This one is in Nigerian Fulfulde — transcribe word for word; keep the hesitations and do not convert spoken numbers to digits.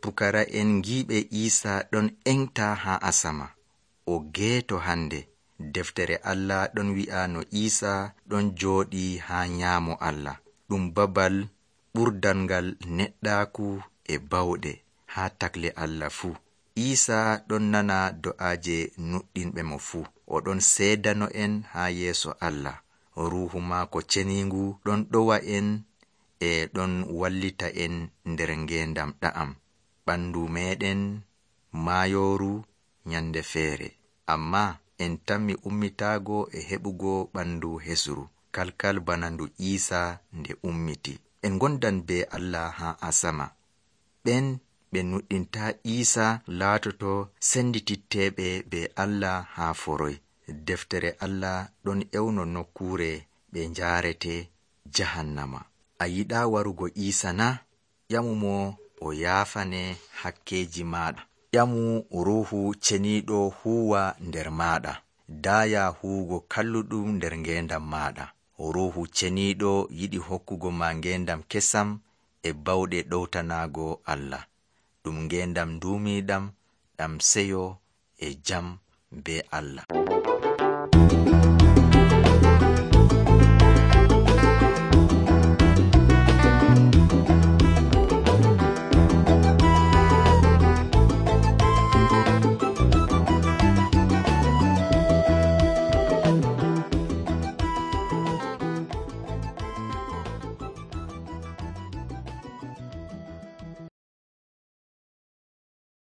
pukara'en giiɓe Iisa ɗon engta haa asama. O geeto hande. Deftere Allah ɗon wi'a no Iisa ɗon jooɗii haa nyaamo Allah. Ɗum babal ɓurdalngal neɗɗaaku e bawɗe haa takle Allah fuu. Iisa ɗon nana do'aaje nuɗɗinɓe mo fuu. O ɗon seedano en haa yeeso Allah. Ruuhu maako ceniingu ɗon ɗowa en e ɗon wallita en nder ngeendam ɗa'am. Ɓandu meeɗen maayooru nyande feere. Ammaa en tammi ummitaago e heɓugo ɓandu hesru, kalkal bana ndu Iisa nde ummiti. En gondan be Allah haa asama. Ɓen ɓe nuɗɗintaa Iisa laatoto sendititteeɓe be Allah haa foroy. Deftere Allah ɗon ewno nokkuure ɓe njaarete jahannama. A yiɗaa warugo Iisa na? Ƴamumo o yaafane hakkeeji maaɗa. Ƴamu ruuhu ceniiɗo huuwa nder maaɗa. Daaya huugo kalluɗum nder ngeendam maaɗa. Ruuhu ceniiɗo yiɗi hokkugo ma ngeendam kesam e bawɗe ɗowtanaago Allah. Ɗum ngeendam duumiiɗam ɗam seyo e jam be Allah.